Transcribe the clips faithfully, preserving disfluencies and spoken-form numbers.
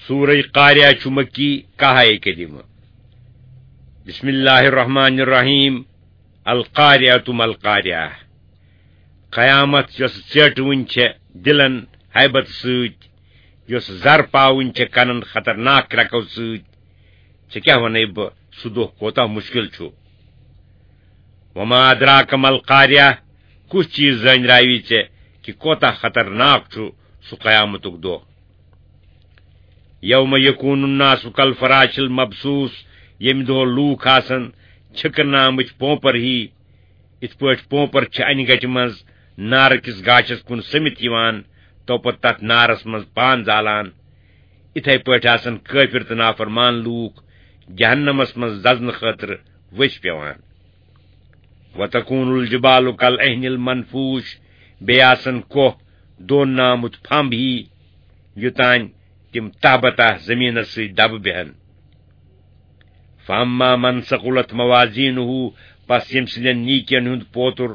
سورہ قاریہ چھُ مکی، کاہ آیہِ کریمہ۔ بسم اللہ الرحمن الرحیم۔ القاریہ ما القاریہ۔ قیامت یۄس ژیٹوٕنۍ چھےٚ دلن ہیبت سۭتۍ، یۄس زر پاوٕنۍ چھےٚ کنن خطرناک کرٛکو سۭتۍ، ژےٚ کیٛاہ ونے بہٕ، سُہ دۄہ کوتاہ مشکل چھُ۔ وما ادراک ما القاریہ، کُس چیز زٲنراوی ژےٚ کہِ کوتاہ خطرناک چھُ سُہ قیامتُک دۄہ؟ یوم یکون الناس کالفراش المبثوث، ییٚمہِ دۄہ لوٗکھ آسن چھِکرنہٕ آمٕتۍ پونپر ہی، یِتھ پٲٹھۍ پونپر چھِ انہِ گٹہِ منٛز نارٕ کِس گاشس کُن سٔمِتھ یِوان، توپتہٕ تتھ نارس منٛز پان زالان، یِتھے پٲٹھۍ آسن کٲفر تہٕ نافرمان لوٗکھ جہنمس منٛز دزنہٕ خٲطرٕ ؤسۍ پٮ۪وان۔ وتکون الجبال کالعہن المنفوش، بیٚیہِ آسن کوہ دون نامُت پھمب ہی، یوٚتانۍ تِم تہہ بتاہ زمینس سۭتۍ دبہٕ بیہن۔ فاما من ثقلت موازینہ، پس ییٚمہِ سٕنٛدٮ۪ن نیکین ہُنٛد پوتُر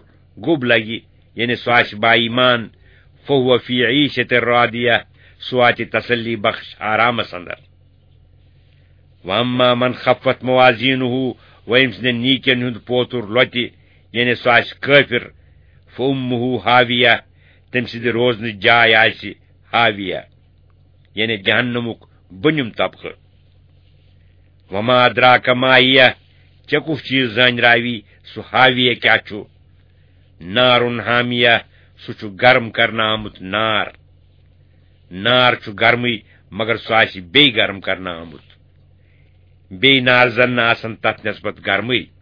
گوٚب لگہِ، یعنی سُہ آسہِ با ایمان، فہو فی عیشت راضیہ، سُہ واتہِ تسلی بخش آرامس اندر۔ واما من خفت موازینہ، و ییٚمہِ سٕنٛدٮ۪ن نیکین ہُنٛد پوتُر لۄتہِ، یعنی سُہ آسہِ کٲفر، فامہ ہاویہ، تٔمۍ سٕنٛدِ روزنٕچ جاے آسہِ ہاویہ، یعنی جہنمُک بۄنِم طبقہٕ۔ وما ادراک ما ہیہ، ژےٚ کُس چیز زٲنراوی سُہ ہاویہ کیٛاہ چھُ؟ نارن حامیہ، سُہ چھُ گرم کرنہٕ آمُت نار۔ نار چھُ گرمٕے، مگر سُہ آسہِ بیٚیہِ گرم کرنہٕ آمُت۔ بیٚیہِ نار زن نہٕ آسن تتھ نسبت گرمٕے۔